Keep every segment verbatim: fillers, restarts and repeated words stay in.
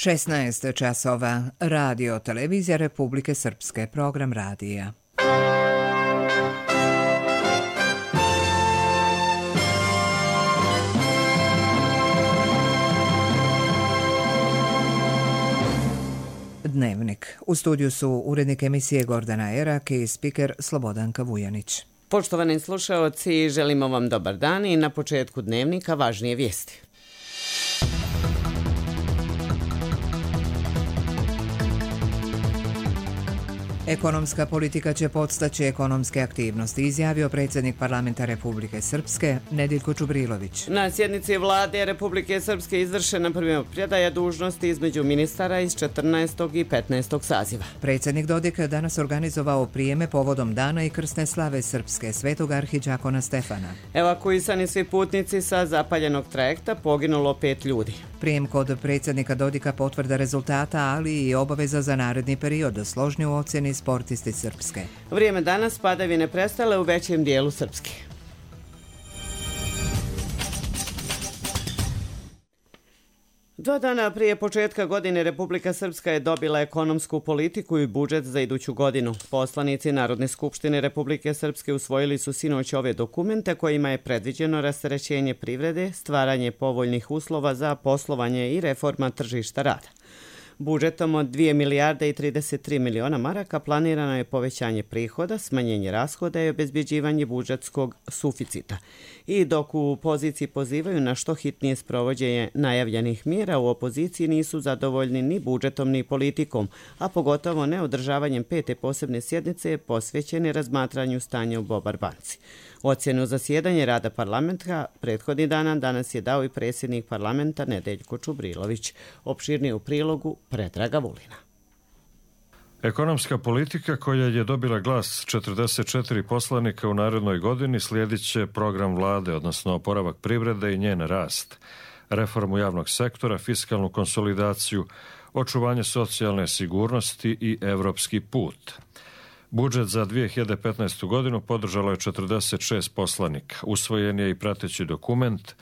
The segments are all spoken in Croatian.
šesnaest časova. Radio Televizija Republike Srpske. Program radija. Dnevnik. U studiju su urednik emisije Gordana Erak i spiker Slobodanka Vujanić. Poštovani slušaoci, želimo vam dobar dan i na početku dnevnika važnije vijesti. Ekonomska politika će podstaći ekonomske aktivnosti, izjavio predsjednik parlamenta Republike Srpske Nedeljko Čubrilović. Na sjednici vlade Republike Srpske izvršena primopredaja dužnosti između ministara iz četrnaestog i petnaestog saziva. Predsjednik Dodik danas organizovao prijeme povodom dana i krsne slave Srpske svetog arhidžakona Stefana. Evakuisani svi putnici sa zapaljenog trajekta, poginulo pet ljudi. Prijem kod predsjednika Dodika potvrda rezultata, ali i obaveza za naredni period, složni u ocjeni sportisti Srpske. Vrijeme danas padavine prestale u većem dijelu Srpske. Dva dana prije početka godine Republika Srpska je dobila ekonomsku politiku i budžet za iduću godinu. Poslanici Narodne skupštine Republike Srpske usvojili su sinoć ove dokumente kojima je predviđeno rasterećenje privrede, stvaranje povoljnih uslova za poslovanje i reforma tržišta rada. Budžetom od dvije milijarde i trideset tri miliona maraka planirano je povećanje prihoda, smanjenje rashoda i obezbjeđivanje budžetskog suficita. I dok u poziciji pozivaju na što hitnije sprovođenje najavljenih mjera, u opoziciji nisu zadovoljni ni budžetom ni politikom, a pogotovo ne održavanjem pete posebne sjednice posvećene razmatranju stanja u Bobar banci. Ocjenu zasjedanje rada parlamenta prethodni dana danas je dao i predsjednik parlamenta Nedeljko Čubrilović. Opširnije u prilogu Predraga Vulina. Ekonomska politika koja je dobila glas četrdeset četiri poslanika u narednoj godini slijedit će program vlade, odnosno oporavak privrede i njen rast, reformu javnog sektora, fiskalnu konsolidaciju, očuvanje socijalne sigurnosti i evropski put. Budžet za dvije hiljade petnaestu. godinu podržalo je četrdeset šest poslanika. Usvojen je i prateći dokument,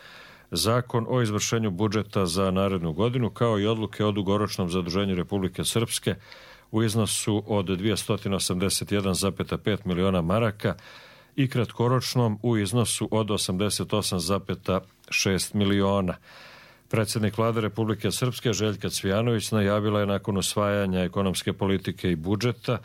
Zakon o izvršenju budžeta za narednu godinu, kao i odluke o dugoročnom zaduženju Republike Srpske u iznosu od dvjesto osamdeset jedan zarez pet miliona maraka i kratkoročnom u iznosu od osamdeset osam zarez šest miliona. Predsjednik vlade Republike Srpske Željka Cvijanović najavila je nakon usvajanja ekonomske politike i budžeta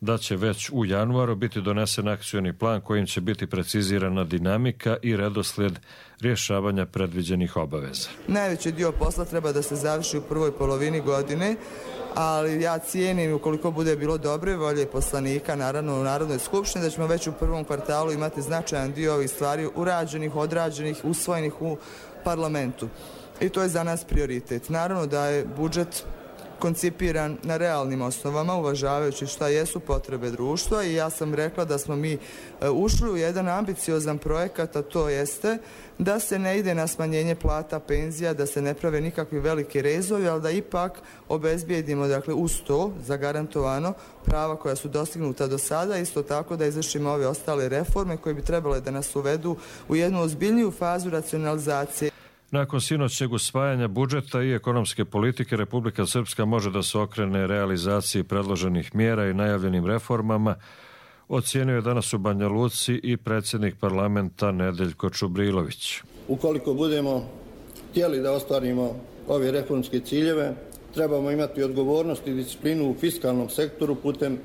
da će već u januaru biti donesen akcioni plan kojim će biti precizirana dinamika i redoslijed rješavanja predviđenih obaveza. Najveći dio posla treba da se završi u prvoj polovini godine, ali ja cijenim, ukoliko bude bilo dobre volje poslanika, naravno u Narodnoj skupštini, da ćemo već u prvom kvartalu imati značajan dio ovih stvari urađenih, odrađenih, usvojenih u parlamentu. I to je za nas prioritet. Naravno da je budžet koncipiran na realnim osnovama, uvažavajući šta jesu potrebe društva, i ja sam rekla da smo mi ušli u jedan ambiciozan projekat, a to jeste da se ne ide na smanjenje plata, penzija, da se ne prave nikakvi veliki rezovi, ali da ipak obezbijedimo, dakle, uz to zagarantovano prava koja su dostignuta do sada, isto tako da izvršimo ove ostale reforme koje bi trebale da nas uvedu u jednu ozbiljniju fazu racionalizacije. Nakon sinoćnjeg usvajanja budžeta i ekonomske politike, Republika Srpska može da se okrene realizaciji predloženih mjera i najavljenim reformama, ocijenio je danas u Banja Luci i predsjednik parlamenta Nedeljko Čubrilović. Ukoliko budemo htjeli da ostvarimo ove reformske ciljeve, trebamo imati odgovornost i disciplinu u fiskalnom sektoru putem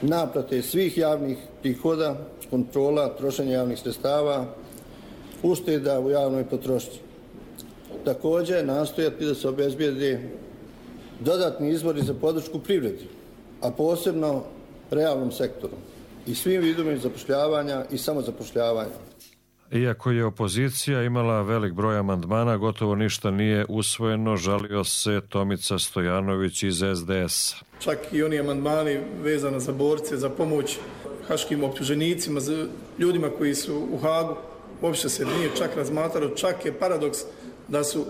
naplate svih javnih prihoda, kontrola trošenja javnih sredstava, ušteda u javnoj potrošnji. Također nastojati da se obezbijedi dodatni izvori za podršku privredi, a posebno realnom sektoru i svim vidovima zapošljavanja i samozapošljavanja. Iako je opozicija imala velik broj amandmana, gotovo ništa nije usvojeno, žalio se Tomica Stojanović iz es de es. Čak i oni amandmani vezano za borce, za pomoć haškim optuženicima, za ljudima koji su u Hagu, uopće se nije čak razmatralo, čak je paradoks da su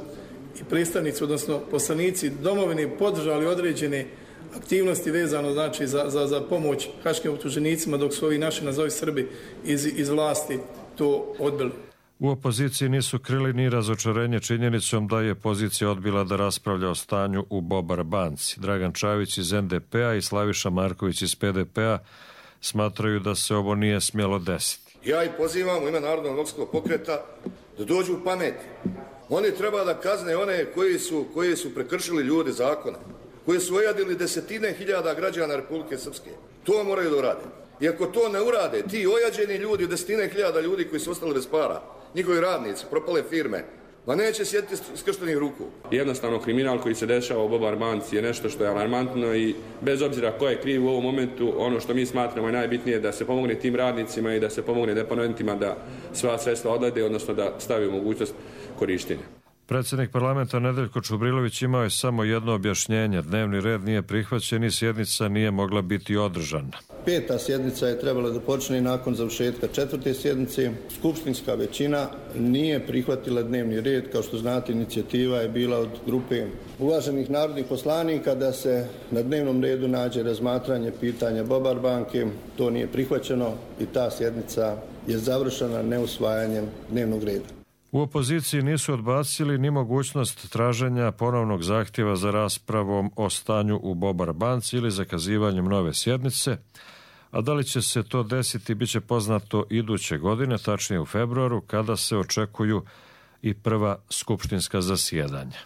i predstavnici, odnosno poslanici domovine podržali određene aktivnosti vezano, znači, za, za, za pomoć haškim optuženicima, dok su ovi naši, nazovi Srbi, iz, iz vlasti to odbili. U opoziciji nisu krili ni razočarenje činjenicom da je pozicija odbila da raspravlja o stanju u Bobar banci. Dragan Čavić iz en de pe a i Slaviša Marković iz pe de pe a smatraju da se ovo nije smjelo desiti. Ja ih pozivam u ime Narodnog demokratskog pokreta da dođu u pameti. Oni treba da kazne one koji su, koji su prekršili ljudi zakona, koji su ojadili desetine hiljada građana Republike Srpske. To moraju da urade. I ako to ne urade, ti ojađeni ljudi, desetine hiljada ljudi koji su ostali bez para, njihovi radnici, propale firme, ma neće sjediti skrštenih ruku. Jednostavno, kriminal koji se dešava u Bobar banci je nešto što je alarmantno i bez obzira ko je kriv u ovom momentu, ono što mi smatramo je najbitnije da se pomogne tim radnicima i da se pomogne deponentima da sva sredstva odlede, odnosno da stavi u mogućnost korištenja. Predsjednik parlamenta Nedeljko Čubrilović imao je samo jedno objašnjenje. Dnevni red nije prihvaćen i sjednica nije mogla biti održana. Peta sjednica je trebala da počne nakon završetka četvrte sjednice. Skupštinska većina nije prihvatila dnevni red. Kao što znate, inicijativa je bila od grupe uvaženih narodnih poslanika da se na dnevnom redu nađe razmatranje pitanja Bobar banke. To nije prihvaćeno i ta sjednica je završena neusvajanjem dnevnog reda. U opoziciji nisu odbacili ni mogućnost traženja ponovnog zahtjeva za raspravom o stanju u Bobar banci ili zakazivanjem nove sjednice, a da li će se to desiti bit će poznato iduće godine, tačnije u februaru, kada se očekuju i prva skupštinska zasjedanja.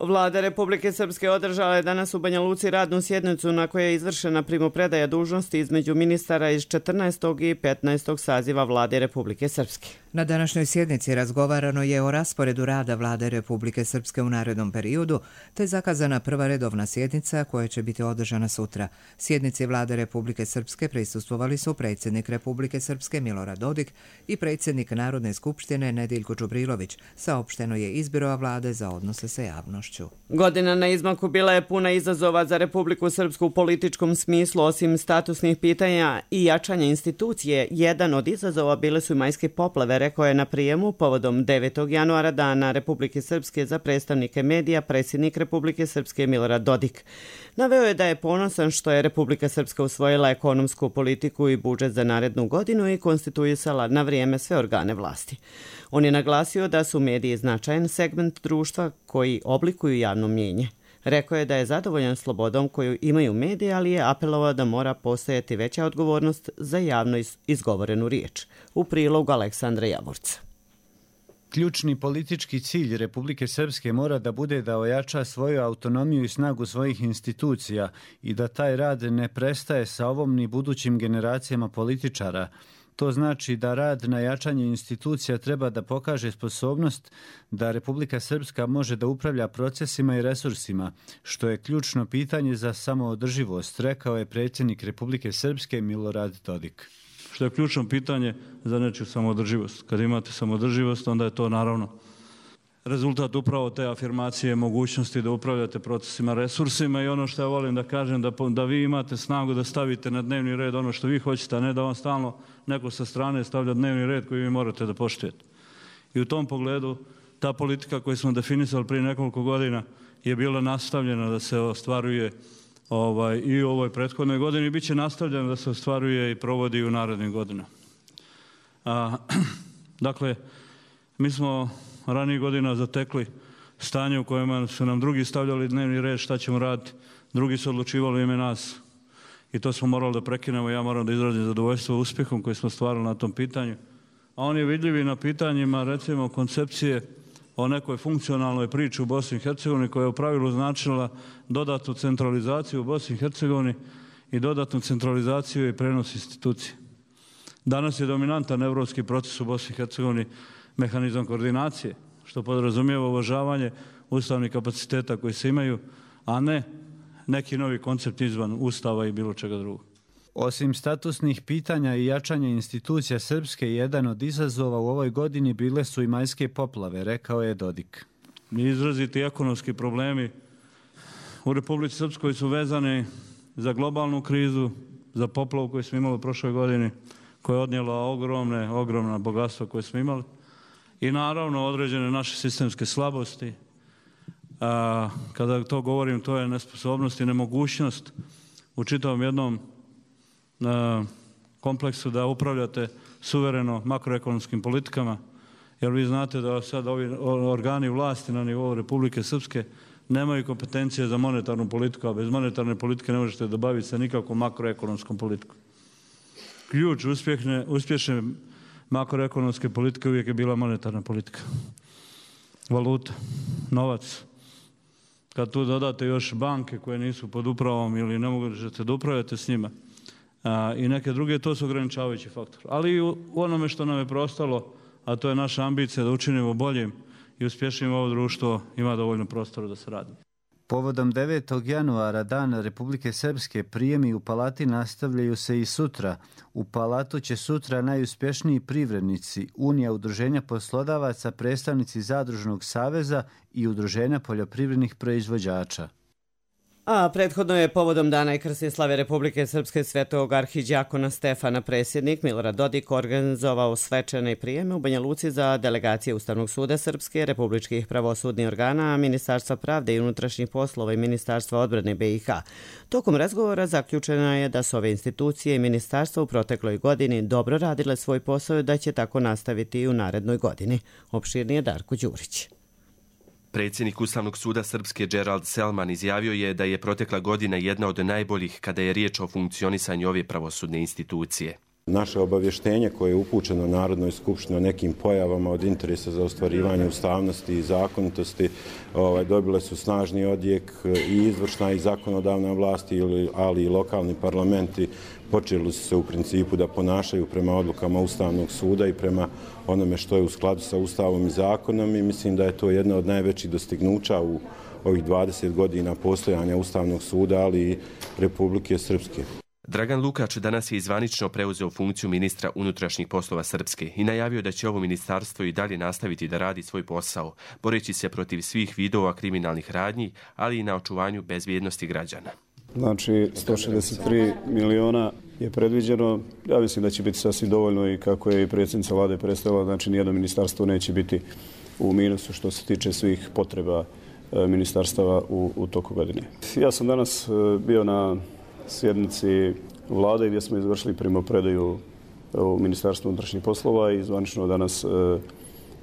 Vlada Republike Srpske održala je danas u Banja Luci radnu sjednicu na kojoj je izvršena primopredaja dužnosti između ministara iz četrnaestog i petnaestog saziva Vlade Republike Srpske. Na današnjoj sjednici razgovarano je o rasporedu rada Vlade Republike Srpske u narednom periodu, te zakazana prva redovna sjednica koja će biti održana sutra. Sjednici Vlade Republike Srpske prisustvovali su predsjednik Republike Srpske Milorad Dodik i predsjednik Narodne skupštine Nediljko Čubrilović. Saopšteno je iz Biroa Vlade za odnose sa javnošću. Godina na izmaku bila je puna izazova za Republiku Srpsku u političkom smislu, osim statusnih pitanja i jačanja institucije. Jedan od izazova bile su i majske poplave, rekao je na prijemu povodom devetog januara Dana Republike Srpske za predstavnike medija predsjednik Republike Srpske Milorad Dodik. Naveo je da je ponosan što je Republika Srpska usvojila ekonomsku politiku i budžet za narednu godinu i konstituisala na vrijeme sve organe vlasti. On je naglasio da su mediji značajan segment društva koji oblikuju javno mnijenje. Rekao je da je zadovoljan slobodom koju imaju mediji, ali je apelovao da mora postojati veća odgovornost za javno izgovorenu riječ. U prilogu Aleksandra Javorca. Ključni politički cilj Republike Srpske mora da bude da ojača svoju autonomiju i snagu svojih institucija i da taj rad ne prestaje sa ovom ni budućim generacijama političara. To znači da rad na jačanju institucija treba da pokaže sposobnost da Republika Srpska može da upravlja procesima i resursima, što je ključno pitanje za samoodrživost, rekao je predsjednik Republike Srpske Milorad Dodik. Što je ključno pitanje za nečiju samoodrživost. Kad imate samoodrživost, onda je to naravno rezultat upravo te afirmacije, mogućnosti da upravljate procesima, resursima i ono što ja volim da kažem, da, da vi imate snagu da stavite na dnevni red ono što vi hoćete, a ne da vam stalno neko sa strane stavlja dnevni red koji vi morate da poštujete. I u tom pogledu ta politika koju smo definisali prije nekoliko godina je bila nastavljena da se ostvaruje ovaj, i u ovoj prethodnoj godini i bit će nastavljena da se ostvaruje i provodi u narednim godinama. A, dakle, mi smo ranijih godina zatekli stanje u kojima su nam drugi stavljali dnevni red šta ćemo raditi, drugi su odlučivali ime nas i to smo morali da prekinemo. Ja moram da izrazim zadovoljstvo uspjehom koji smo stvarali na tom pitanju. A on je vidljiv i na pitanjima, recimo, koncepcije o nekoj funkcionalnoj priči u Bosni i Hercegovini koja je u pravilu značila dodatnu centralizaciju u Bosni i Hercegovini i dodatnu centralizaciju i prenos institucije. Danas je dominantan evropski proces u Bosni i Hercegovini mehanizam koordinacije, što podrazumijeva uvažavanje ustavnih kapaciteta koji se imaju, a ne neki novi koncept izvan ustava i bilo čega drugog. Osim statusnih pitanja i jačanja institucija Srpske, jedan od izazova u ovoj godini bile su i majske poplave, rekao je Dodik. Izraziti ekonomski problemi u Republici Srpskoj su vezani za globalnu krizu, za poplavu koju smo imali u prošloj godini, koja je odnijela ogromne, ogromna bogatstva koje smo imali. I naravno određene naše sistemske slabosti. A, kada to govorim, to je nesposobnost i nemogućnost u čitavom jednom a, kompleksu da upravljate suvereno makroekonomskim politikama, jer vi znate da sad ovi organi vlasti na nivou Republike Srpske nemaju kompetencije za monetarnu politiku, a bez monetarne politike ne možete dobaviti se nikakvom makroekonomskom politikom. Ključ uspješne, uspješne makroekonomske politike uvijek je bila monetarna politika. Valuta, novac. Kad tu dodate još banke koje nisu pod upravom ili ne možete da upravljate s njima a, i neke druge, to su ograničavajući faktor. Ali i u onome što nam je preostalo, a to je naša ambicija da učinimo boljim i uspješnim ovo društvo, ima dovoljno prostora da se radi. Povodom devetog januara, Dana Republike Srpske, prijemi u Palati nastavljaju se i sutra. U Palatu će sutra najuspješniji privrednici, Unija udruženja poslodavaca, predstavnici Zadružnog saveza i Udruženja poljoprivrednih proizvođača. A prethodno je povodom Dana i krsne slave Republike Srpske svetog arhidjakona Stefana predsjednik Milorad Dodik organizovao svečane prijeme u Banja Luci za delegacije Ustavnog suda Srpske, republičkih pravosudnih organa, Ministarstva pravde i unutrašnjih poslova i Ministarstva odbrane B i H. Tokom razgovora zaključeno je da su ove institucije i ministarstva u protekloj godini dobro radile svoj posao i da će tako nastaviti i u narednoj godini. Opširnije Darko Đurić. Predsjednik Ustavnog suda Srpske Gerald Selman izjavio je da je protekla godina jedna od najboljih kada je riječ o funkcionisanju ove pravosudne institucije. Naše obavještenje koje je upućeno Narodnoj skupštini o nekim pojavama od interesa za ostvarivanje ustavnosti i zakonitosti ovaj, dobile su snažni odjek i izvršna i zakonodavna vlast, ali i lokalni parlamenti počeli su se u principu da ponašaju prema odlukama Ustavnog suda i prema onome što je u skladu sa Ustavom i zakonom i mislim da je to jedna od najvećih dostignuća u ovih dvadeset godina postojanja Ustavnog suda, ali i Republike Srpske. Dragan Lukač danas je zvanično preuzeo funkciju ministra unutrašnjih poslova Srpske i najavio da će ovo ministarstvo i dalje nastaviti da radi svoj posao, boreći se protiv svih vidova kriminalnih radnji, ali i na očuvanju bezbjednosti građana. Znači, sto šezdeset tri miliona je predviđeno. Ja mislim da će biti sasvim dovoljno i kako je i predsjednica vlade predstavila, znači nijedno ministarstvo neće biti u minusu što se tiče svih potreba ministarstava u, u toku godine. Ja sam danas bio na sjednici vlade gdje smo izvršili primopredaju u Ministarstvu unutrašnjih poslova i zvanično danas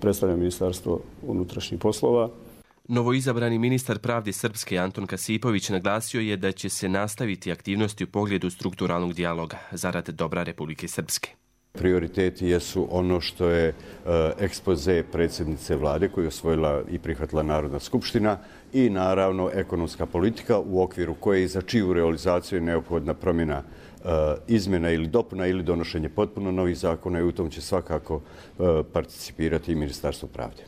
predstavljam Ministarstvo unutrašnjih poslova. Novoizabrani ministar pravde Srpske Anton Kasipović naglasio je da će se nastaviti aktivnosti u pogledu strukturalnog dijaloga zarad dobra Republike Srpske. Prioriteti jesu ono što je e, ekspoze predsjednice vlade koju je osvojila i prihvatila Narodna skupština i naravno ekonomska politika u okviru koje i za čiju realizaciju je neophodna promjena e, izmjena ili dopuna ili donošenje potpuno novih zakona i u tom će svakako e, participirati i Ministarstvo pravde.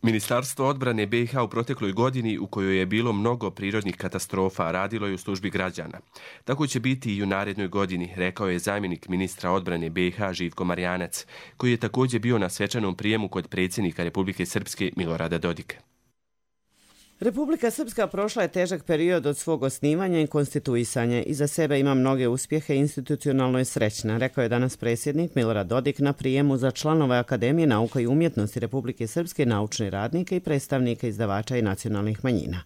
Ministarstvo odbrane B i H u protekloj godini u kojoj je bilo mnogo prirodnih katastrofa radilo je u službi građana. Tako će biti i u narednoj godini, rekao je zamjenik ministra odbrane B i H Živko Marjanac, koji je također bio na svečanom prijemu kod predsjednika Republike Srpske Milorada Dodika. Republika Srpska prošla je težak period od svog osnivanja i konstituisanja. Iza sebe ima mnoge uspjehe i institucionalno je srećna, rekao je danas predsjednik Milorad Dodik na prijemu za članove Akademije nauka i umjetnosti Republike Srpske, naučne radnike i predstavnike izdavača i nacionalnih manjina.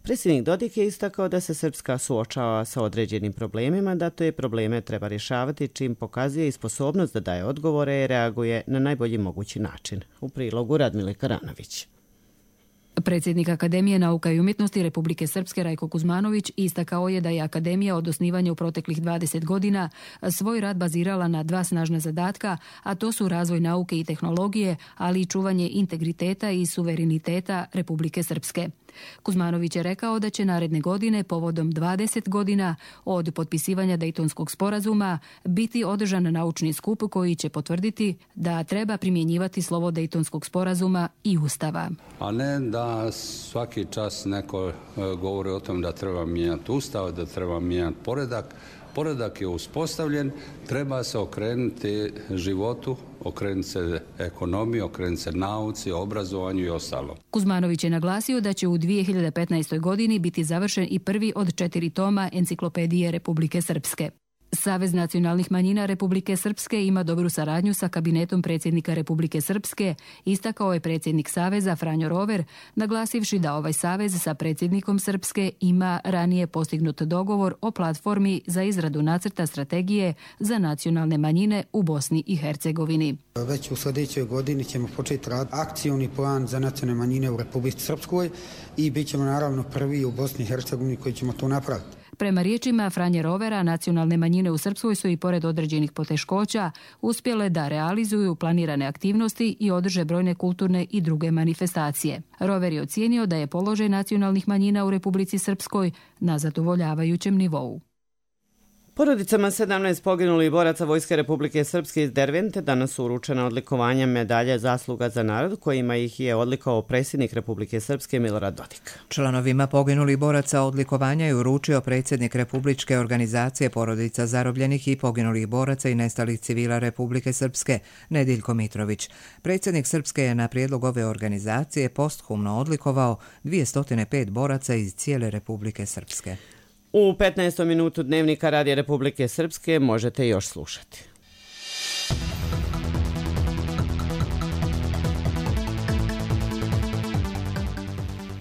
Predsjednik Dodik je istakao da se Srpska suočava sa određenim problemima, da to je probleme treba rješavati čim pokazuje i sposobnost da daje odgovore i reaguje na najbolji mogući način. U prilogu Radmile Karanović. Predsjednik Akademije nauka i umjetnosti Republike Srpske Rajko Kuzmanović istakao je da je Akademija od osnivanja u proteklih dvadeset godina svoj rad bazirala na dva snažna zadatka, a to su razvoj nauke i tehnologije, ali i čuvanje integriteta i suvereniteta Republike Srpske. Kuzmanović je rekao da će naredne godine, povodom dvadeset godina od potpisivanja Dejtonskog sporazuma, biti održan naučni skup koji će potvrditi da treba primjenjivati slovo Dejtonskog sporazuma i Ustava. A ne da svaki čas neko govori o tom da treba mijenjati Ustav, da treba mijenjati poredak. Poredak je uspostavljen, treba se okrenuti životu, okrenuti se ekonomiji, okrenuti se nauci, obrazovanju i ostalo. Kuzmanović je naglasio da će u dvije hiljade petnaestoj. godini biti završen i prvi od četiri toma enciklopedije Republike Srpske. Savez nacionalnih manjina Republike Srpske ima dobru saradnju sa kabinetom predsjednika Republike Srpske, istakao je predsjednik Saveza Franjo Rover, naglasivši da ovaj savez sa predsjednikom Srpske ima ranije postignut dogovor o platformi za izradu nacrta strategije za nacionalne manjine u Bosni i Hercegovini. Već u sljedećoj godini ćemo početi raditi akcioni plan za nacionalne manjine u Republici Srpskoj i bit ćemo naravno prvi u Bosni i Hercegovini koji ćemo to napraviti. Prema riječima Franje Rovera, nacionalne manjine u Srpskoj su i pored određenih poteškoća uspjele da realizuju planirane aktivnosti i održe brojne kulturne i druge manifestacije. Rover je ocijenio da je položaj nacionalnih manjina u Republici Srpskoj na zadovoljavajućem nivou. Porodicama sedamnaest poginulih boraca Vojske Republike Srpske iz Dervente danas su uručena odlikovanja medalje Zasluga za narod, kojima ih je odlikao predsjednik Republike Srpske Milorad Dodik. Članovima poginulih boraca odlikovanja je uručio predsjednik Republičke organizacije porodica zarobljenih i poginulih boraca i nestalih civila Republike Srpske Nediljko Mitrović. Predsjednik Srpske je na prijedlog ove organizacije posthumno odlikovao dvjesto pet boraca iz cijele Republike Srpske. U petnaestom minutu Dnevnika Radija Republike Srpske možete još slušati.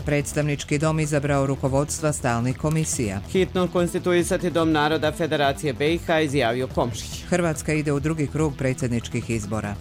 Predstavnički dom izabrao rukovodstva stalnih komisija. Hitno konstituisati Dom naroda Federacije B i H, izjavio Komšić. Hrvatska ide u drugi krug predsjedničkih izbora.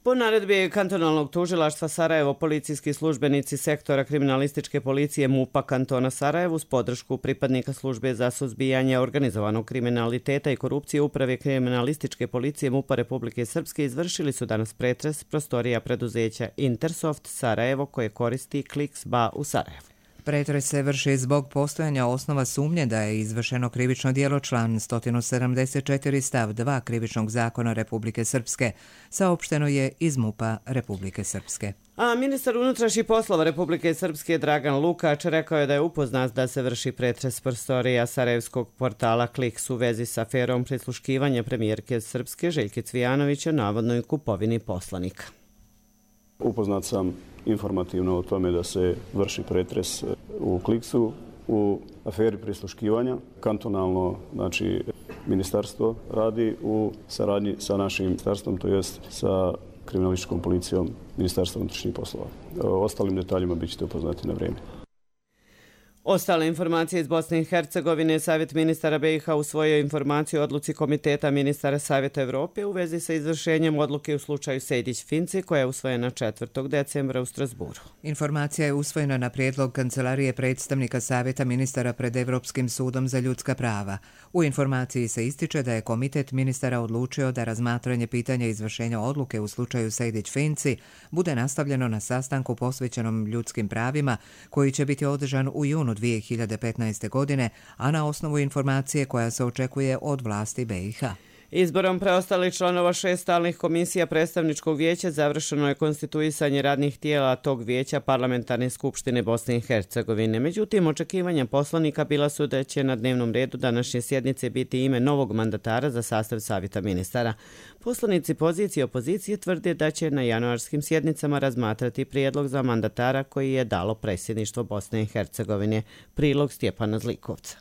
Po naredbi kantonalnog tužilaštva Sarajevo, policijski službenici sektora kriminalističke policije MUP-a kantona Sarajevo uz podršku pripadnika službe za suzbijanje organizovanog kriminaliteta i korupcije uprave kriminalističke policije MUP-a Republike Srpske izvršili su danas pretres prostorija preduzeća Intersoft Sarajevo koje koristi Kliks.ba u Sarajevu. Pretres se vrši zbog postojanja osnova sumnje da je izvršeno krivično djelo član sto sedamdeset četiri stav dva Krivičnog zakona Republike Srpske, saopšteno je iz MUP-a Republike Srpske. A ministar unutrašnjih poslova Republike Srpske Dragan Lukač rekao je da je upoznat da se vrši pretres prostorija sarajevskog portala Kliks u vezi sa aferom prisluškivanja premijerke Srpske Željke Cvijanovića navodnoj kupovini poslanika. Upoznat sam informativno o tome da se vrši pretres u Kliksu u aferi prisluškivanja. Kantonalno, znači, ministarstvo radi u saradnji sa našim ministarstvom, to jest sa kriminalističkom policijom Ministarstva unutrašnjih poslova. O ostalim detaljima bit ćete upoznati na vrijeme. Ostale informacije iz Bosne i Hercegovine. Savjet ministara B i H usvojio informaciju o odluci Komiteta ministara Savjeta Evrope u vezi sa izvršenjem odluke u slučaju Sejdić-Finci koja je usvojena četvrtog decembra u Strasburu. Informacija je usvojena na prijedlog Kancelarije predstavnika Savjeta ministara pred Evropskim sudom za ljudska prava. U informaciji se ističe da je Komitet ministara odlučio da razmatranje pitanja izvršenja odluke u slučaju Sejdić-Finci bude nastavljeno na sastanku posvećenom ljudskim pravima koji će biti održan u junu dvije hiljade petnaeste. godine, a na osnovu informacije koja se očekuje od vlasti B i H. Izborom preostalih članova šest stalnih komisija predstavničkog vijeća završeno je konstituisanje radnih tijela tog vijeća Parlamentarne skupštine Bosne i Hercegovine. Međutim, očekivanja poslanika bila su da će na dnevnom redu današnje sjednice biti ime novog mandatara za sastav Savjeta ministara. Poslanici pozicije i opozicije tvrde da će na januarskim sjednicama razmatrati prijedlog za mandatara koji je dalo predsjedništvo Bosne i Hercegovine. Prilog Stjepana Zlikovca.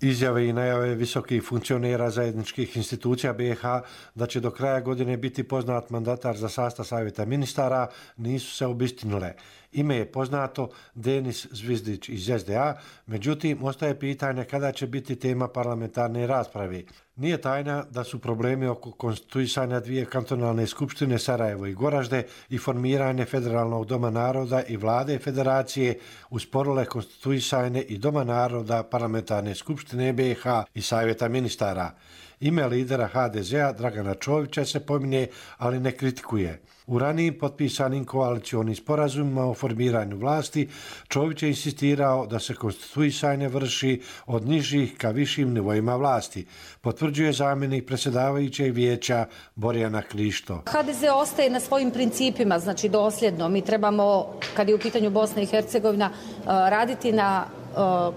Izjave i najave visokih funkcionera zajedničkih institucija B i H da će do kraja godine biti poznat mandatar za sastav Savjeta ministara nisu se obistinile. Ime je poznato, Denis Zvizdić iz S D A, međutim ostaje pitanje kada će biti tema parlamentarne rasprave. Nije tajna da su problemi oko konstituisanja dvije kantonalne skupštine Sarajevo i Goražde i formiranje Federalnog doma naroda i vlade federacije usporile konstituisanje i Doma naroda parlamentarne skupštine B i H i Savjeta ministara. Ime lidera H D Z-a Dragana Čovića se pominje, ali ne kritikuje. U ranijim potpisanim koalicionim sporazumima o formiranju vlasti, Čović je insistirao da se konstituisanje vrši od nižih ka višim nivoima vlasti, potvrđuje zamjenik predsjedavajućeg vijeća Borjana Krišto. H D Z ostaje na svojim principima, znači dosljedno. Mi trebamo, kad je u pitanju Bosna i Hercegovina, raditi na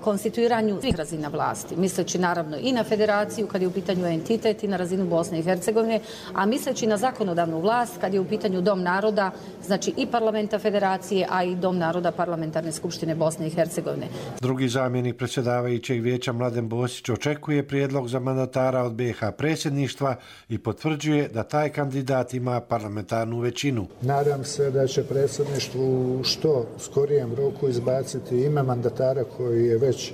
konstituiranju svih razina vlasti, misleći naravno i na federaciju kad je u pitanju entitet i na razinu Bosne i Hercegovine, a misleći na zakonodavnu vlast kad je u pitanju Dom naroda, znači i parlamenta federacije, a i Dom naroda Parlamentarne skupštine Bosne i Hercegovine. Drugi zamjenik predsjedavajućeg vijeća Mladen Bosić očekuje prijedlog za mandatara od B i H predsjedništva i potvrđuje da taj kandidat ima parlamentarnu većinu. Nadam se da će predsjedništvu u što skorijem roku izbaciti ime mandatara koji je već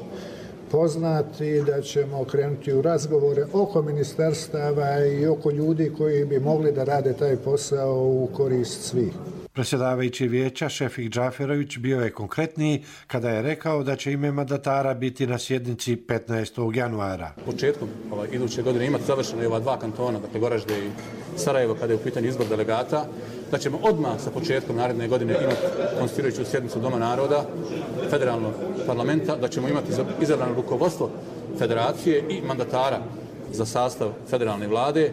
poznat i da ćemo krenuti u razgovore oko ministarstava i oko ljudi koji bi mogli da rade taj posao u korist svih. Predsjedavajući vijeća Šefik Džaferović bio je konkretniji kada je rekao da će ime mandatara biti na sjednici petnaestog januara. Početkom ovaj, iduće godine imati završeno i ova dva kantona, dakle Goražde i Sarajevo, kada je u pitanju izbor delegata, da ćemo odmah sa početkom naredne godine imati konstituirajuću sjednicu Doma naroda, federalnog parlamenta, da ćemo imati izabrano rukovodstvo federacije i mandatara za sastav federalne vlade,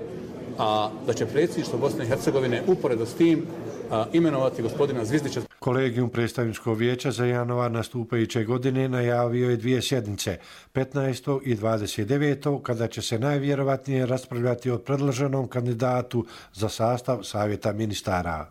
a da će predsjedništvo Bosne i Hercegovine uporedo s tim a, imenovati gospodina Zvizdića. Kolegijum predstavničkog vijeća za januar nastupajuće godine najavio je dvije sjednice, petnaestog i dvadeset devetog kada će se najvjerovatnije raspravljati o predloženom kandidatu za sastav Savjeta ministara.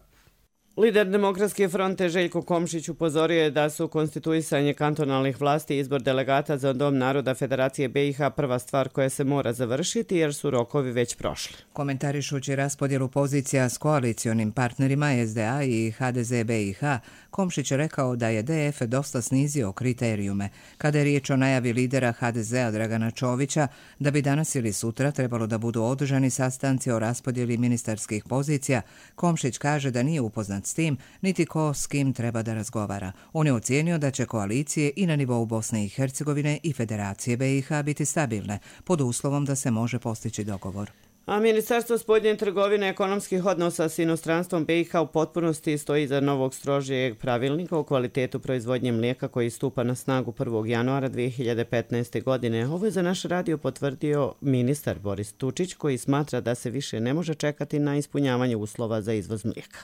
Lider Demokratske fronte Željko Komšić upozorio je da su konstituisanje kantonalnih vlasti i izbor delegata za Dom naroda Federacije B i H prva stvar koja se mora završiti jer su rokovi već prošli. Komentarišući raspodjelu pozicija s koalicionim partnerima S D A i H D Z B i H, Komšić je rekao da je D F dosta snizio kriterijume. Kada je riječ o najavi lidera H D Z-a Dragana Čovića da bi danas ili sutra trebalo da budu održani sastanci o raspodjeli ministarskih pozicija, Komšić kaže da nije upoznat s tim, niti ko s kim treba da razgovara. On je ocijenio da će koalicije i na nivou Bosne i Hercegovine i Federacije B i H biti stabilne, pod uslovom da se može postići dogovor. A Ministarstvo spoljne trgovine i ekonomskih odnosa s inostranstvom B i H u potpunosti stoji iza novog strožijeg pravilnika o kvalitetu proizvodnje mlijeka koji stupa na snagu prvog januara dvije hiljade petnaeste. godine. Ovo je za naš radio potvrdio ministar Boris Tučić, koji smatra da se više ne može čekati na ispunjavanje uslova za izvoz mlijeka.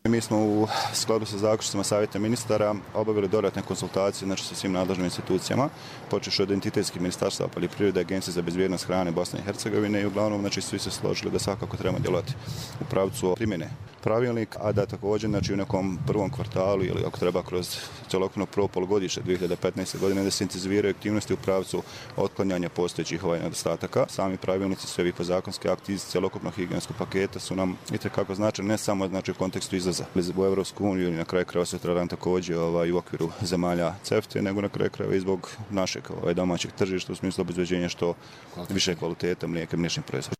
Mi smo u skladu sa zaključcima Savjeta ministara obavili dodatne konsultacije znači, sa svim nadležnim institucijama, počevši od entitetskih ministarstva poljoprivrede, Agencije za bezbjednost hrane Bosne i Hercegovine i uglavnom znači, svi se složili da svakako trebamo djelovati u pravcu primjene pravilnika, a da također znači, u nekom prvom kvartalu ili ako treba kroz celokupno prvo polugodište dvije hiljade petnaeste. godine da se intenziviraju aktivnosti u pravcu otklanjanja postojećih ovaj nedostataka. Sami pravilnici, sve vi podzakonski akti iz celokupnog higijenskog paketa su nam itekako značajni ne samo znači, u kontekstu izlaza u Evropsku uniju ili na kraju krajeva sutradan također ovaj, u okviru zemalja C E F T E, nego na kraju krajeva i zbog našeg ovaj, domaćeg tržišta u smislu obezbeđenja što više kvaliteta mlijeka i mliječnih proizvoda.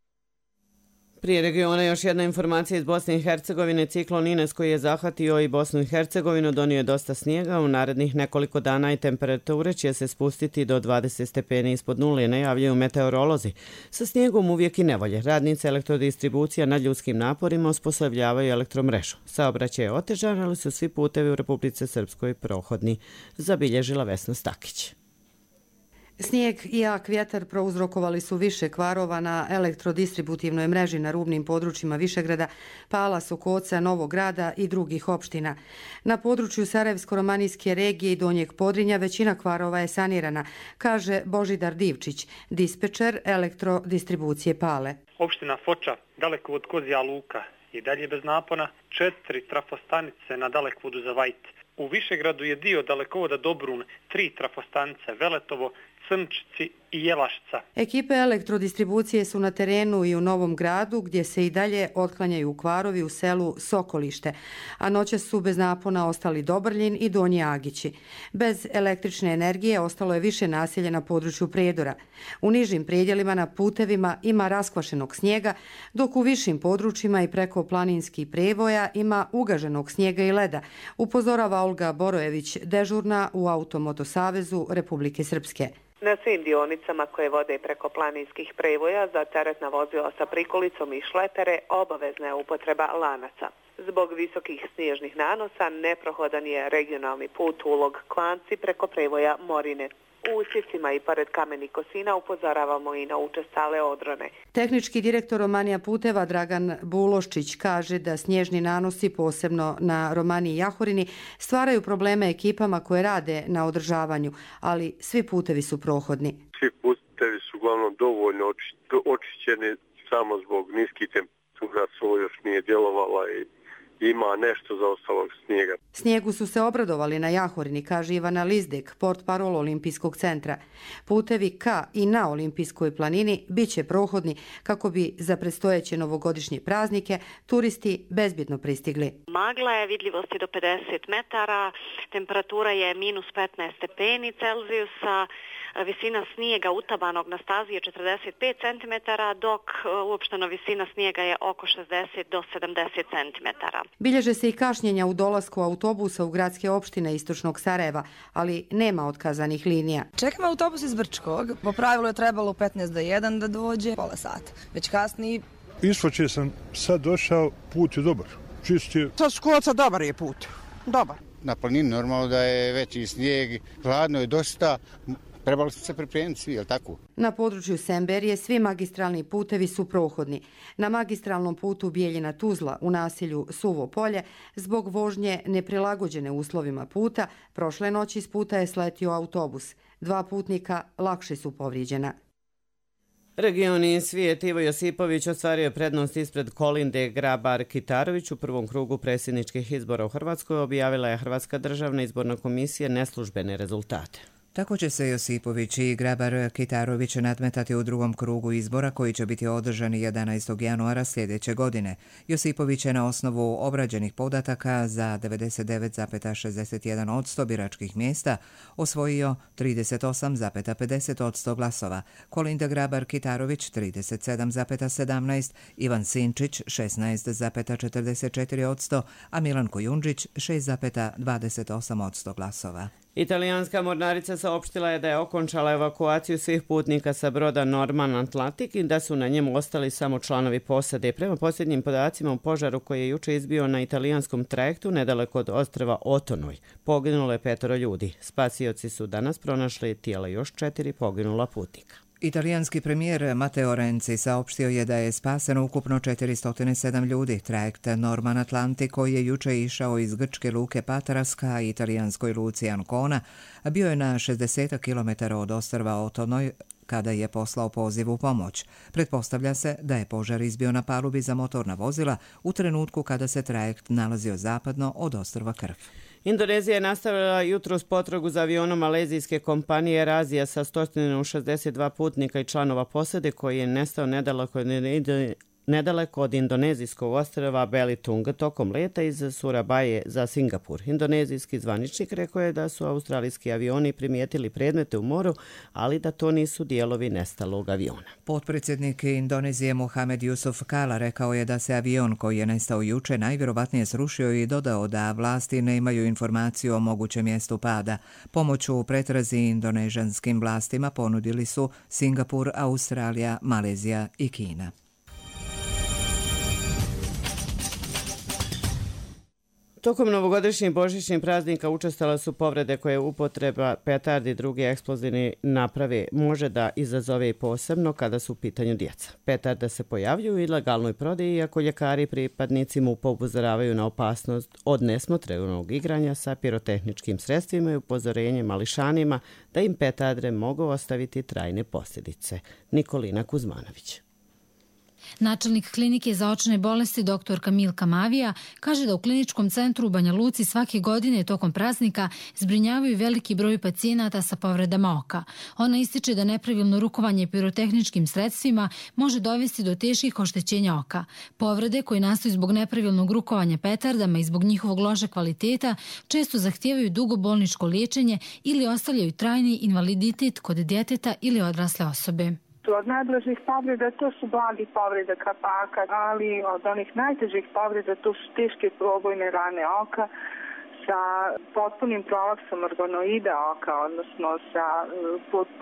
Prije regiona još jedna informacija iz Bosne i Hercegovine. Ciklon Ines koji je zahvatio i Bosnu i Hercegovinu donio je dosta snijega. U narednih nekoliko dana i temperature će se spustiti do dvadeset stepeni ispod nule, najavljuju meteorolozi. Sa snijegom uvijek i nevolje. Radnice elektrodistribucija nad ljudskim naporima osposobljavaju elektromrežu. Saobraćaj je otežan, ali su svi putevi u Republici Srpskoj prohodni, zabilježila Vesna Stakić. Snijeg i jak vjetar prouzrokovali su više kvarova na elektrodistributivnoj mreži na rubnim područjima Višegrada, Pala, Sokoca, Novog Grada i drugih opština. Na području Sarajevsko-romanijske regije i Donjeg Podrinja većina kvarova je sanirana, kaže Božidar Divčić, dispečer elektrodistribucije Pale. Opština Foča, daleko od Kozija Luka, i dalje bez napona, četiri trafostanice na dalekovodu za Vajt. U Višegradu je dio dalekovoda Dobrun, tri trafostanice, Veletovo, Crnčici i Jelašca. Ekipe elektrodistribucije su na terenu i u Novom Gradu, gdje se i dalje otklanjaju kvarovi u selu Sokolište, a noćas su bez napona ostali Dobrljin i Donji Agići. Bez električne energije ostalo je više naselja na području Prijedora. U nižim predjelima na putevima ima raskvašenog snijega, dok u višim područjima i preko planinskih prevoja ima ugaženog snijega i leda, upozorava Olga Borojević, dežurna u Automotosavezu Republike Srpske. Na svim dionicama koje vode preko planinskih prevoja za teretna vozila sa prikolicom i šlepere obavezna je upotreba lanaca. Zbog visokih snježnih nanosa neprohodan je regionalni put Ulog Klanci preko prevoja Morine. U usjecima i pored kamenih kosina upozoravamo i na učestale odrone. Tehnički direktor Romanija puteva Dragan Buloščić kaže da snježni nanosi, posebno na Romaniji i Jahorini, stvaraju probleme ekipama koje rade na održavanju, ali svi putevi su prohodni. Svi putevi su uglavnom dovoljno očišćeni, samo zbog niskih temperatura solo još nije djelovala i ima nešto zaostalog snijega. Snijegu su se obradovali na Jahorini, kaže Ivana Lizdek, portparol Olimpijskog centra. Putevi ka i na Olimpijskoj planini bit će prohodni kako bi za predstojeće novogodišnje praznike turisti bezbjedno pristigli. Magla je, vidljivost je do pedeset metara, temperatura je minus petnaest stepeni Celzijusa, visina snijega utabanog na stazi je četrdeset pet centimetara, dok uopšteno visina snijega je oko šezdeset do sedamdeset centimetara. Bilježe se i kašnjenja u dolasku autobusa u gradske opštine istočnog Sarajeva, ali nema otkazanih linija. Čekamo autobus iz Brčkog. Po pravilu je trebalo u petnaest do jedan da dođe, pola sata. Već kasnije. Isfoče sam sad došao, put je dobar. Čist je. Sa Skoca dobar je put. Dobar. Na planini normalno da je veći snijeg, hladno je dosta. Trebalo se pripremiti svi, je li tako? Na području Semberije svi magistralni putevi su prohodni. Na magistralnom putu Bijeljina-Tuzla u naselju Suvo polje zbog vožnje neprilagođene uslovima puta prošle noći s puta je sletio autobus. Dva putnika lakše su povrijeđena. Regioni svijet Ivo Josipović ostvario prednost ispred Kolinde Grabar-Kitarović u prvom krugu predsjedničkih izbora u Hrvatskoj, objavila je Hrvatska državna izborna komisija neslužbene rezultate. Tako će se Josipović i Grabar-Kitarović nadmetati u drugom krugu izbora koji će biti održani jedanaestog januara sljedeće godine. Josipović je na osnovu obrađenih podataka za devedeset devet zarez šezdeset jedan posto biračkih mjesta osvojio trideset osam zarez pedeset posto glasova, Kolinda Grabar-Kitarović trideset sedam zarez sedamnaest, Ivan Sinčić šesnaest zarez četrdeset četiri posto, a Milan Kujundžić šest zarez dvadeset osam posto glasova. Italijanska mornarica saopštila je da je okončala evakuaciju svih putnika sa broda Norman Atlantic i da su na njemu ostali samo članovi posade. Prema posljednjim podacima u požaru koji je juče izbio na italijanskom trajektu nedaleko od ostrva Otonoj, poginulo je petoro ljudi. Spasioci su danas pronašli tijela još četiri poginula putnika. Italijanski premijer Matteo Renzi saopštio je da je spaseno ukupno četiristo sedam ljudi. Trajekt Norman Atlantic koji je juče išao iz grčke luke Patras ka italijanskoj luci Ancona bio je na šezdeset kilometara od ostrva Otonoj kada je poslao poziv u pomoć. Pretpostavlja se da je požar izbio na palubi za motorna vozila u trenutku kada se trajekt nalazio zapadno od ostrva Krf. Indonezija je nastavila jutros potragu za avionom malezijske kompanije Air sa sto šezdeset dva putnika i članova posade koji je nestao nedaleko od nedaleko od indonezijskog ostrva Belitung tokom leta iz Surabaje za Singapur. Indonezijski zvaničnik rekao je da su australijski avioni primijetili predmete u moru, ali da to nisu dijelovi nestalog aviona. Potpredsjednik Indonezije Mohamed Yusuf Kala rekao je da se avion koji je nestao juče najvjerovatnije srušio i dodao da vlasti ne imaju informaciju o mogućem mjestu pada. Pomoć u pretrazi indonežanskim vlastima ponudili su Singapur, Australija, Malezija i Kina. Tokom novogodišnjih božićnih praznika učestale su povrede koje upotreba petardi i druge eksplozivne naprave može da izazove i posebno kada su u pitanju djeca. Petarde se pojavljuju u ilegalnoj prodaji, iako ljekari pripadnici MUP-a upozoravaju na opasnost od nesmotrenog igranja sa pirotehničkim sredstvima i upozorenje mališanima da im petarde mogu ostaviti trajne posljedice. Nikolina Kuzmanović. Načelnik klinike za očne bolesti doktorka Milka Mavija kaže da u kliničkom centru u Banja Luci svake godine tokom praznika zbrinjavaju veliki broj pacijenata sa povredama oka. Ona ističe da nepravilno rukovanje pirotehničkim sredstvima može dovesti do teških oštećenja oka. Povrede koje nastaju zbog nepravilnog rukovanja petardama i zbog njihovog loše kvaliteta često zahtijevaju dugo bolničko liječenje ili ostavljaju trajni invaliditet kod djeteta ili odrasle osobe. Od nadležnih povreda to su blagi povreda kapaka, ali od onih najtežih povreda to su teške probojne rane oka sa potpunim prolapsom organoida oka, odnosno sa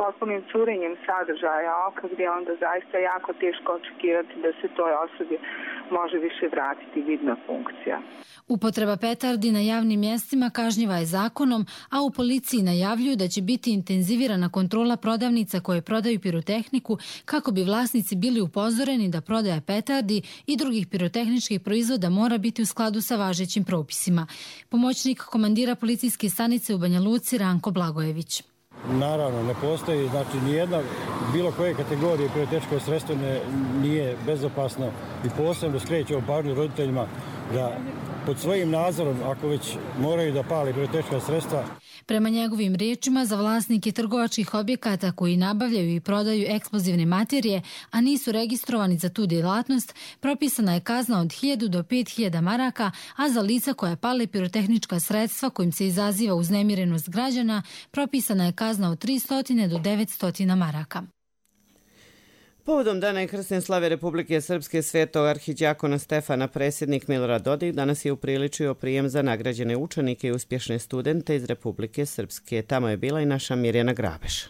potpunim curenjem sadržaja oka, gdje onda zaista jako teško očekivati da se toj osobi može više vratiti vidna funkcija. Upotreba petardi na javnim mjestima kažnjiva je zakonom, a u policiji najavljuju da će biti intenzivirana kontrola prodavnica koje prodaju pirotehniku kako bi vlasnici bili upozoreni da prodaja petardi i drugih pirotehničkih proizvoda mora biti u skladu sa važećim propisima. Pomoćnik komandira policijske stanice u Banja Luci Ranko Blagojević. Naravno, ne postoji, znači nijedna bilo koje kategorije pirotehničko sredstvo ne, nije bezopasno i posebno skrećemo pažnju roditeljima da pod svojim nadzorom, ako već moraju da pali pirotehnička sredstva. Prema njegovim riječima, za vlasnike trgovačkih objekata koji nabavljaju i prodaju eksplozivne materije, a nisu registrovani za tu djelatnost, propisana je kazna od hiljadu do pet hiljada maraka, a za lica koja pale pirotehnička sredstva kojim se izaziva uznemirenost građana, propisana je kazna od tristo do devetsto maraka. Povodom Dana i krsne slave Republike Srpske svetog arhidjakona Stefana predsjednik Milorad Dodik danas je upriličio prijem za nagrađene učenike i uspješne studente iz Republike Srpske. Tamo je bila i naša Mirjana Grabeš.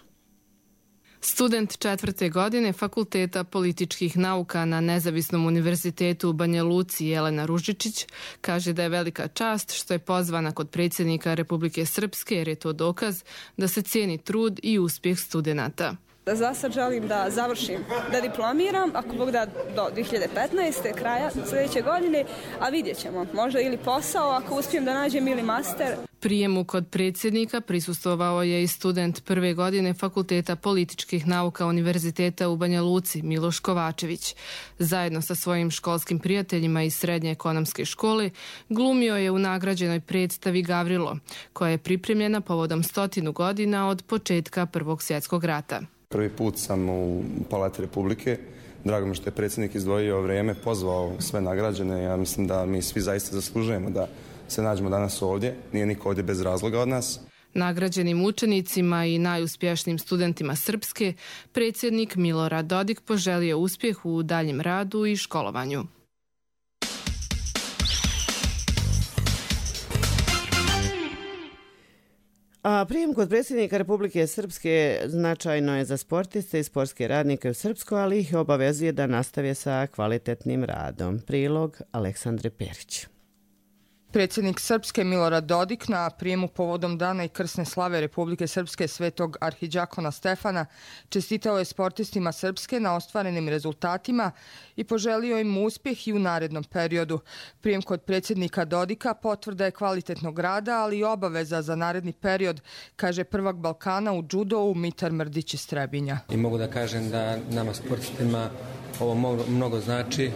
Student četvrte godine Fakulteta političkih nauka na Nezavisnom univerzitetu u Banja Luci Jelena Ružičić kaže da je velika čast što je pozvana kod predsjednika Republike Srpske jer je to dokaz da se cijeni trud i uspjeh studenata. Za sad želim da završim, da diplomiram, ako Bog da do dvije hiljade petnaeste. kraja sljedeće godine, a vidjet ćemo. Možda ili posao, ako uspijem da nađem, ili master. Prijemu kod predsjednika prisustvovao je i student prve godine Fakulteta političkih nauka Univerziteta u Banja Luci Miloš Kovačević. Zajedno sa svojim školskim prijateljima iz srednje ekonomske škole glumio je u nagrađenoj predstavi Gavrilo, koja je pripremljena povodom stotinu godina od početka Prvog svjetskog rata. Prvi put sam u Palati Republike. Drago mi što je predsjednik izdvojio vrijeme, pozvao sve nagrađene. Ja mislim da mi svi zaista zaslužujemo da se nađemo danas ovdje. Nije niko ovdje bez razloga od nas. Nagrađenim učenicima i najuspješnijim studentima Srpske predsjednik Milorad Dodik poželio uspjeh u daljem radu i školovanju. A prijem kod predsjednika Republike Srpske značajno je za sportiste i sportske radnike u Srpskoj, ali ih obavezuje da nastave sa kvalitetnim radom. Prilog Aleksandre Perić. Predsjednik Srpske Milorad Dodik na prijemu povodom Dana i krsne slave Republike Srpske svetog arhidjakona Stefana čestitao je sportistima Srpske na ostvarenim rezultatima i poželio im uspjeh i u narednom periodu. Prijem kod predsjednika Dodika potvrda je kvalitetnog rada, ali i obaveza za naredni period, kaže prvak Balkana u džudou Mitar Mrdić iz Trebinja. I mogu da kažem da nama sportistima ovo mnogo znači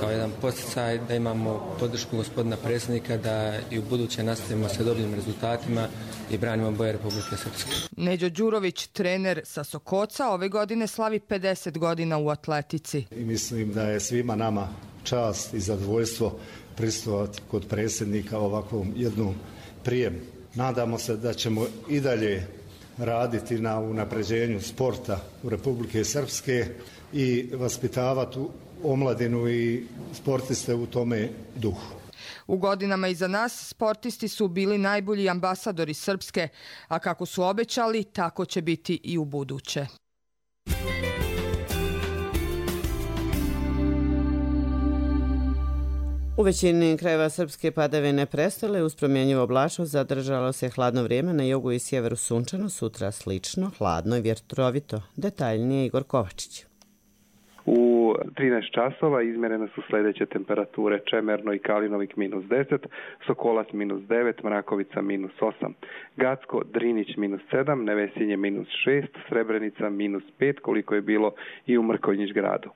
kao jedan podsticaj da imamo podršku gospodina predsjednika da i u buduće nastavimo sa dobrim rezultatima i branimo boje Republike Srpske. Neđo Đurović, trener sa Sokoca, ove godine slavi pedeset godina u atletici. I mislim da je svima nama čast i zadovoljstvo prisustvovati kod predsjednika ovakvom jednom prijemu. Nadamo se da ćemo i dalje raditi na unapređenju sporta u Republike Srpske i vaspitavati omladinu i sportiste u tome duhu. U godinama iza nas sportisti su bili najbolji ambasadori Srpske, a kako su obećali, tako će biti i u buduće. U većini krajeva Srpske padavine prestale, uz promjenjivu oblačnost zadržalo se hladno vrijeme, na jugu i sjeveru sunčano, sutra slično, hladno i vjetrovito. Detaljnije Igor Kovačić. U trinaest časova izmjerene su sljedeće temperature: Čemerno i Kalinovik minus deset, Sokolac minus devet, Mrakovica minus osam, Gacko, Drinić minus sedam, Nevesinje minus šest, Srebrenica minus pet, koliko je bilo i u Mrkonjić gradu.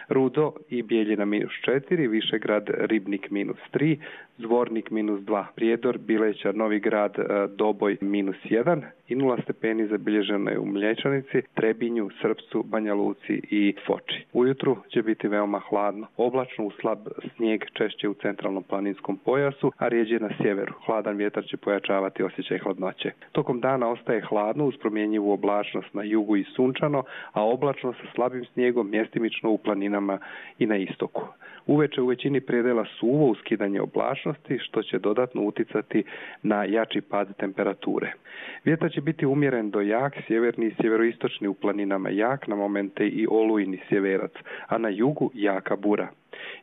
Rudo i Bijeljina minus četiri, Višegrad, Ribnik minus tri, Zvornik minus dva, Prijedor, Bileća, Novi grad, Doboj minus jedan i nula stepeni zabilježeno je u Mlječanici, Trebinju, Srpcu, Banja Luci i Foči. Ujutru će biti veoma hladno. Oblačno, u slab snijeg češće u centralnom planinskom pojasu, a rijeđe na sjeveru. Hladan vjetar će pojačavati osjećaj hladnoće. Tokom dana ostaje hladno uz promjenjivu oblačnost na jugu i sunčano, a oblačno sa slabim snijegom mjestimično u planinama i na istoku. Uveče u većini predela suvo uskidanje oblačnosti, što će dodatno uticati na jači pad temperature. Vjetar će biti umjeren do jak, sjeverni i sjeveroistočni u planinama jak, na momente i olujni sjeverac, a na jugu jaka bura.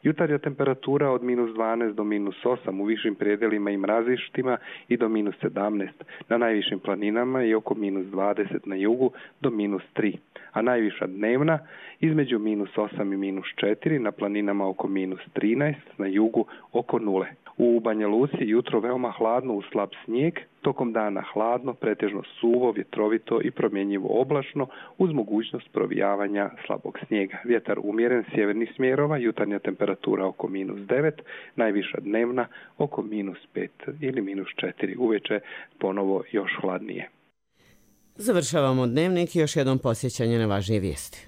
Jutarnja temperatura od minus dvanaest do minus osam u višim predjelima i mrazištima i do minus sedamnaest. Na najvišim planinama i oko minus dvadeset na jugu do minus tri. A najviša dnevna između minus osam i minus četiri, na planinama oko minus trinaest, na jugu oko nule. U Banja Luci jutro veoma hladno uz slab snijeg, tokom dana hladno, pretežno suvo, vjetrovito i promjenjivo oblačno uz mogućnost provijavanja slabog snijega. Vjetar umjeren sjevernih smjerova, jutarnja temperatura oko minus devet, najviša dnevna oko minus pet ili minus četiri. Uveče ponovo još hladnije. Završavamo dnevnik i još jednom posjećanje na važnije vijesti.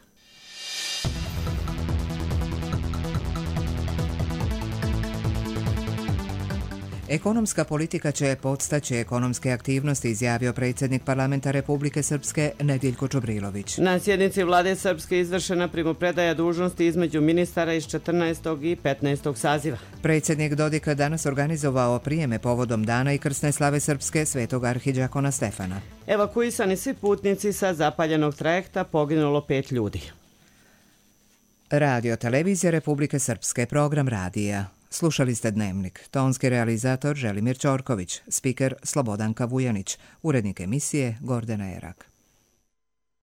Ekonomska politika će podstaći ekonomske aktivnosti, izjavio predsjednik Parlamenta Republike Srpske Nediljko Čobrilović. Na sjednici vlade Srpske izvršena primopredaja dužnosti između ministara iz četrnaestog i petnaestog saziva. Predsjednik Dodik danas organizovao prijeme povodom dana i krsne slave Srpske svetog arhidžakona Stefana. Evakuisani svi putnici sa zapaljenog trajekta, poginulo pet ljudi. Radio Televizija Republike Srpske, program radija. Slušali ste Dnevnik. Tonski realizator Želimir Ćorković, spiker Slobodanka Vujanić, urednik emisije Gordana Erak.